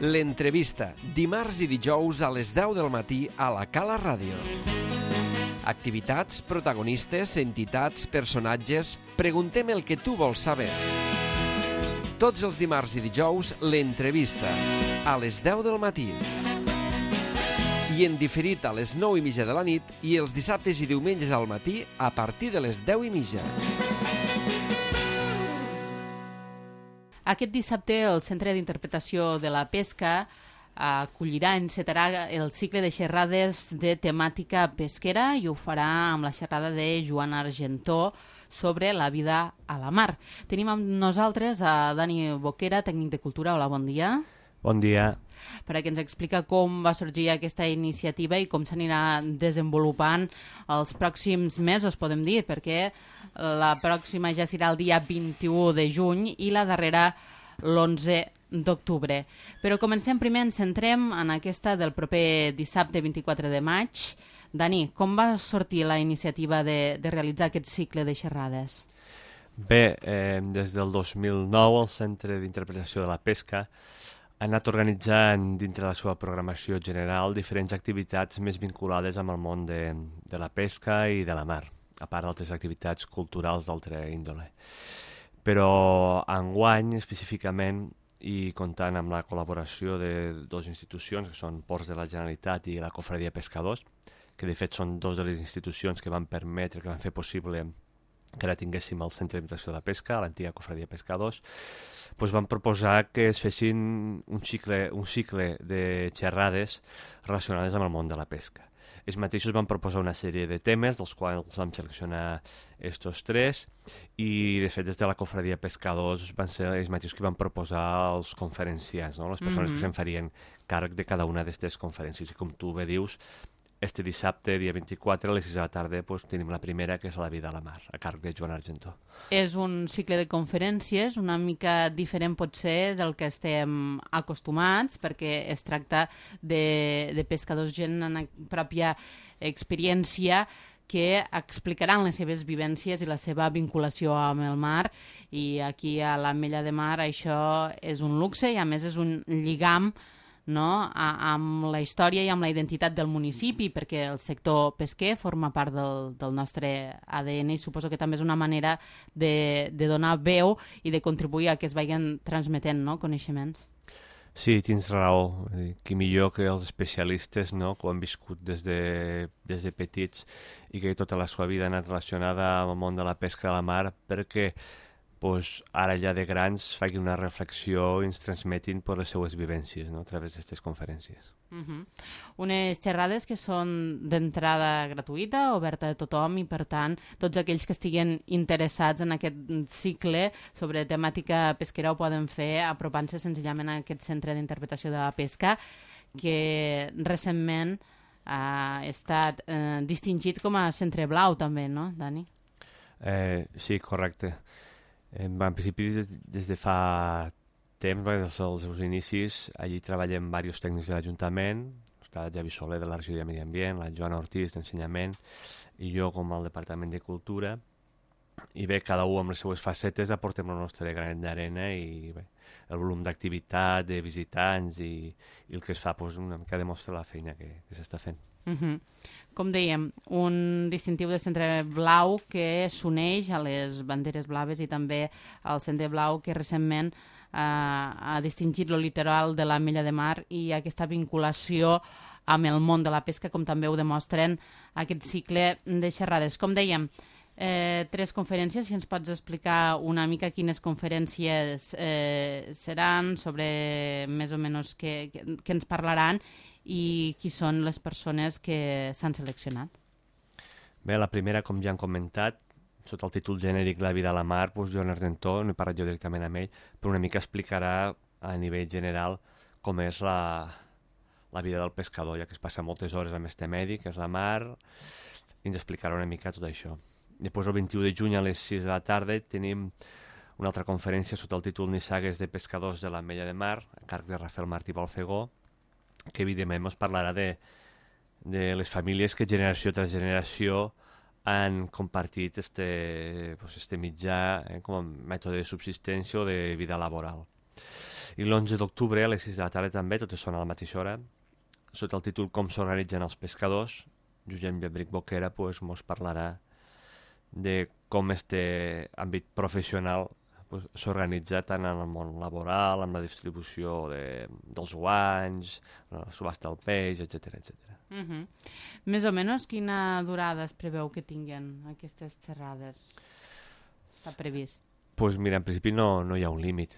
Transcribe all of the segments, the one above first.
L'entrevista, dimarts i dijous a les 10 del matí a la Cala Ràdio. Activitats, protagonistes, entitats, personatges... Preguntem el que tu vols saber. Tots els dimarts i dijous, l'entrevista, a les 10 del matí. I en diferit a les 9:30 de la nit i els dissabtes i diumenges al matí a partir de les 10:30. Aquest dissabte el Centre d'Interpretació de la Pesca acollirà, encetarà el cicle de xerrades de temàtica pesquera i ho farà amb la xerrada de Joan Argentó sobre la vida a la mar. Tenim amb nosaltres a Dani Boquera, tècnic de cultura. Hola, bon dia. Bon dia. Perquè ens explica com va sorgir aquesta iniciativa i com s'anirà desenvolupant els pròxims mesos, podem dir, perquè la pròxima ja serà el dia 21 de juny i la darrera l'11 d'octubre. Però comencem primer, ens centrem en aquesta del proper dissabte 24 de maig. Dani, com va sortir la iniciativa de realitzar aquest cicle de xerrades? Bé, des del 2009 el Centre d'Interpretació de la Pesca ha anat organitzant dintre la seva programació general diferents activitats més vinculades amb el món de la pesca i de la mar, a part d'altres activitats culturals d'altra índole. Però enguany, específicament, i comptant amb la col·laboració de dues institucions, que són Ports de la Generalitat i la Cofradia Pescadors, que de fet són dues de les institucions que van permetre, que van fer possible que ara tinguéssim el Centre d'Interpretació de la Pesca, l'antiga Cofradia Pescadors, doncs van proposar que es fessin un cicle de xerrades relacionades amb el món de la pesca. Ells mateixos van proposar una sèrie de temes, dels quals vam seleccionar estos tres, i de fet des de la Cofradia Pescadors van ser ells mateixos que van proposar els conferenciants, no? Les persones que se'n farien càrrec de cada una d'aquestes conferències. I com tu bé dius, este dissabte, dia 24, a les 6 de la tarda, doncs, tenim la primera, que és La vida a la mar, a càrrec de Joan Argentó. És un cicle de conferències una mica diferent potser del que estem acostumats, perquè es tracta de pescadors, gent en pròpia experiència, que explicaran les seves vivències i la seva vinculació amb el mar, i aquí a l'Ametlla de Mar això és un luxe i a més és un lligam, no?, amb la història i amb la identitat del municipi, perquè el sector pesquer forma part del nostre ADN i suposo que també és una manera de donar veu i de contribuir a que es vagin transmetent, no?, coneixements. Sí, tens raó. Qui millor que els especialistes, no?, que ho han viscut des de petits i que tota la seva vida ha anat relacionada amb el món de la pesca de la mar, perquè ara ja de grans facin una reflexió i ens transmetin per les seues vivències, no?, a través d'aquestes conferències. Unes xerrades que són d'entrada gratuïta, oberta a tothom, i per tant tots aquells que estiguen interessats en aquest cicle sobre temàtica pesquera ho poden fer apropant-se senzillament a aquest Centre d'Interpretació de la Pesca, que recentment ha estat distingit com a Centre Blau també, no, Dani? Sí, correcte. En principi, des de fa temps, des dels seus inicis, allí treballem diversos tècnics de l'Ajuntament, està Javi Soler de la Regió de Medi Ambient, la Joana Ortiz d'Ensenyament i jo com al Departament de Cultura, i bé, cada un amb les seues facetes aportem el nostre granet d'arena i bé, el volum d'activitat, de visitants i el que es fa una mica demostra la feina que s'està fent. Com dèiem, un distintiu de Centre Blau que s'uneix a les banderes blaves i també al Centre Blau que recentment ha distingit el litoral de l'Ametlla de Mar i aquesta vinculació amb el món de la pesca, com també ho demostren aquest cicle de xerrades. Com dèiem, 3 conferències, si ens pots explicar una mica quines conferències seran, sobre més o menys què ens parlaran i qui són les persones que s'han seleccionat. Bé, la primera, com ja han comentat, sota el títol genèric La vida a la mar, doncs Joan Argentó, no he parlat jo directament amb ell, però una mica explicarà a nivell general com és la vida del pescador, ja que es passa moltes hores amb este medi, que és la mar, i ens explicarà una mica tot això. Després, el 21 de juny a les 6 de la tarda tenim una altra conferència sota el títol Nissagues de pescadors de l'Ametlla de Mar, a càrrec de Rafael Martí Balfegó, que evidentment ens parlarà de les famílies que generació tras generació han compartit este mitjà com a mètode de subsistència o de vida laboral. I l'11 d'octubre a les 6 de la tarda també, totes són a la mateixa hora, sota el títol Com s'organitzen els pescadors. Josep Llebric Boquera mos parlarà de com este àmbit professional s'organitza tant en el món laboral, amb la distribució dels guanys, la subhasta del peix, etc. Més o menys quina durada es preveu que tinguen aquestes xerrades? Està previst? Doncs mira, en principi no hi ha un límit.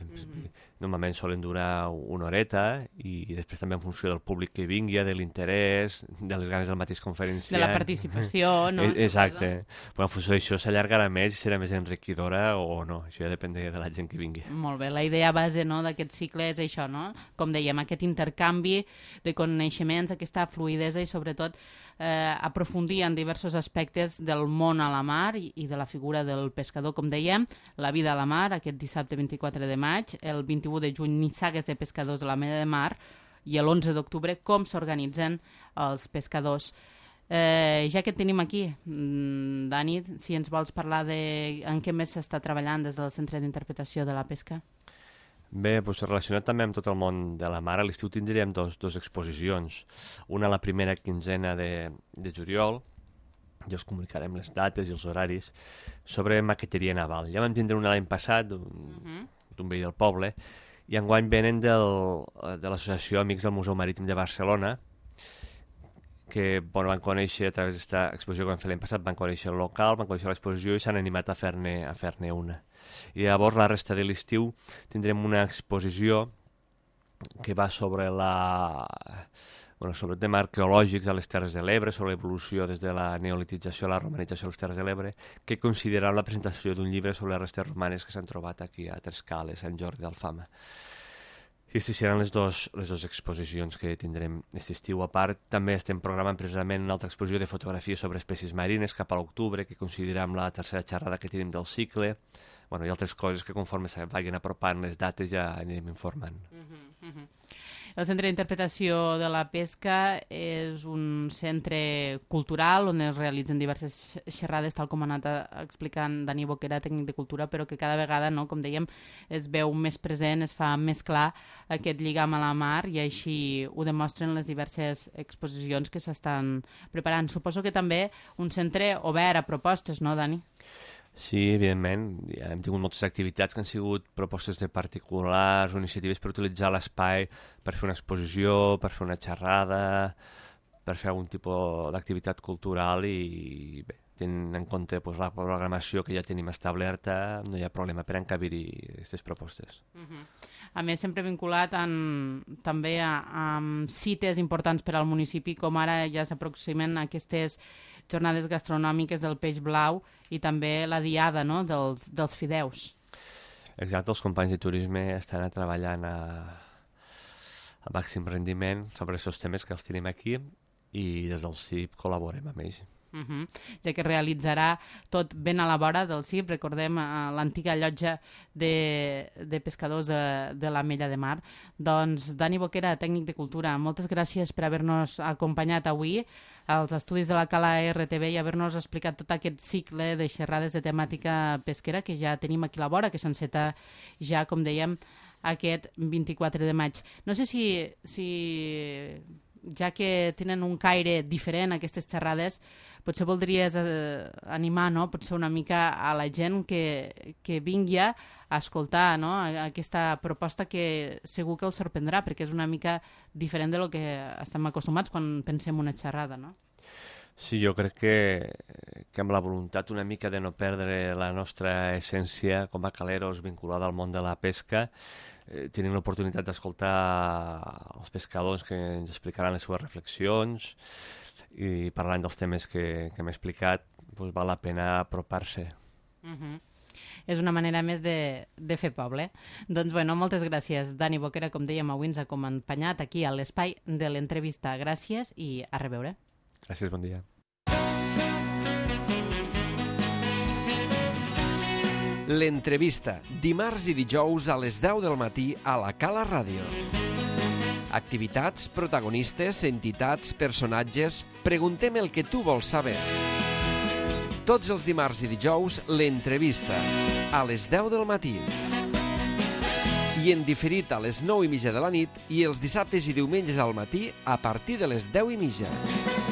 Normalment solen durar una horeta i després també en funció del públic que vingui, de l'interès, de les ganes del mateix conferenciant. De la participació, no? Exacte. Però en funció d'això s'allargarà més i serà més enriquidora o no. Això ja depèn de la gent que vingui. Molt bé. La idea base d'aquest cicle és això, no? Com dèiem, aquest intercanvi de coneixements, aquesta fluïdesa i sobretot aprofundir en diversos aspectes del món a la mar i de la figura del pescador. Com dèiem, la vida a la mar, aquest dissabte 24 de maig, el 21 de juny, nissagues de pescadors de la Mella de Mar, i l'11 d'octubre, com s'organitzen els pescadors. Ja que et tenim aquí, Dani, si ens vols parlar de en què més s'està treballant des del Centre d'Interpretació de la Pesca? Bé, relacionat també amb tot el món de la mar, a l'estiu tindríem dos exposicions. Una la primera quinzena de juliol, ja us comunicarem les dates i els horaris, sobre maqueteria naval. Ja vam tindre una l'any passat, d'un veí del poble, i enguany venen de l'Associació Amics del Museu Marítim de Barcelona, que van conèixer a través d'esta exposició que vam fer l'any passat, van conèixer el local, van conèixer l'exposició i s'han animat a fer-ne una. I llavors la resta de l'estiu tindrem una exposició que va sobre sobre temes arqueològics a les Terres de l'Ebre, sobre l'evolució des de la neolitització a la romanització a les Terres de l'Ebre, que considerarà la presentació d'un llibre sobre les restes romanes que s'han trobat aquí a Trescal, a Sant Jordi d'Alfama. I aquestes seran les dues exposicions que tindrem aquest estiu. A part, també estem programant precisament una altra exposició de fotografia sobre espècies marines cap a l'octubre, que coincidirà amb la tercera xerrada que tenim del cicle, i altres coses que conforme se vagin apropant les dates ja anirem informant. El Centre d'Interpretació de la Pesca és un centre cultural on es realitzen diverses xerrades, tal com ha anat explicant Dani Boquera, tècnic de cultura, però que cada vegada, com dèiem, es veu més present, es fa més clar aquest lligam a la mar i així ho demostren les diverses exposicions que s'estan preparant. Suposo que també un centre obert a propostes, no, Dani? Sí, evidentment. Ja hem tingut moltes activitats que han sigut propostes de particulars o iniciatives per utilitzar l'espai per fer una exposició, per fer una xerrada, per fer algun tipus d'activitat cultural i bé, tenint en compte la programació que ja tenim establerta, no hi ha problema per encabir-hi aquestes propostes. A més, sempre vinculat també amb cites importants per al municipi, com ara ja s'aproximen aquestes jornades gastronòmiques del peix blau i també la diada dels fideus. Exacte, els companys de turisme estan treballant a màxim rendiment sobre aquests temes que els tenim aquí i des del CIP col·laborem amb ells. Ja que realitzarà tot ben a la vora del CIP, recordem l'antiga llotja de pescadors de la Mella de Mar. Doncs Dani Boquera, tècnic de cultura, moltes gràcies per haver-nos acompanyat avui als estudis de la Cala RTV i haver-nos explicat tot aquest cicle de xerrades de temàtica pesquera que ja tenim aquí a la vora, que s'enceta ja, com dèiem, aquest 24 de maig. No sé si ja que tenen un caire diferent aquestes xerrades, potser voldries animar, potser una mica a la gent que vingui a escoltar aquesta proposta que segur que els sorprendrà, perquè és una mica diferent de lo que estem acostumats quan pensem una xerrada, no? Sí, jo crec que amb la voluntat una mica de no perdre la nostra essència com a caleros vinculada al món de la pesca, tenim l'oportunitat d'escoltar els pescadors que ens explicaran les seves reflexions i parlant dels temes que hem explicat, val la pena apropar-se. És una manera més de fer poble. Doncs moltes gràcies, Dani Boquera, com dèiem, avui ens ha acompanyat aquí a l'espai de l'entrevista. Gràcies i a reveure. Gràcies, bon dia. L'entrevista, dimarts i dijous a les 10 del matí a la Cala Ràdio. Activitats, protagonistes, entitats, personatges... Preguntem el que tu vols saber. Tots els dimarts i dijous, l'entrevista, a les 10 del matí. i en diferit a les 9:30 de la nit i els dissabtes i diumenges al matí a partir de les 10:30.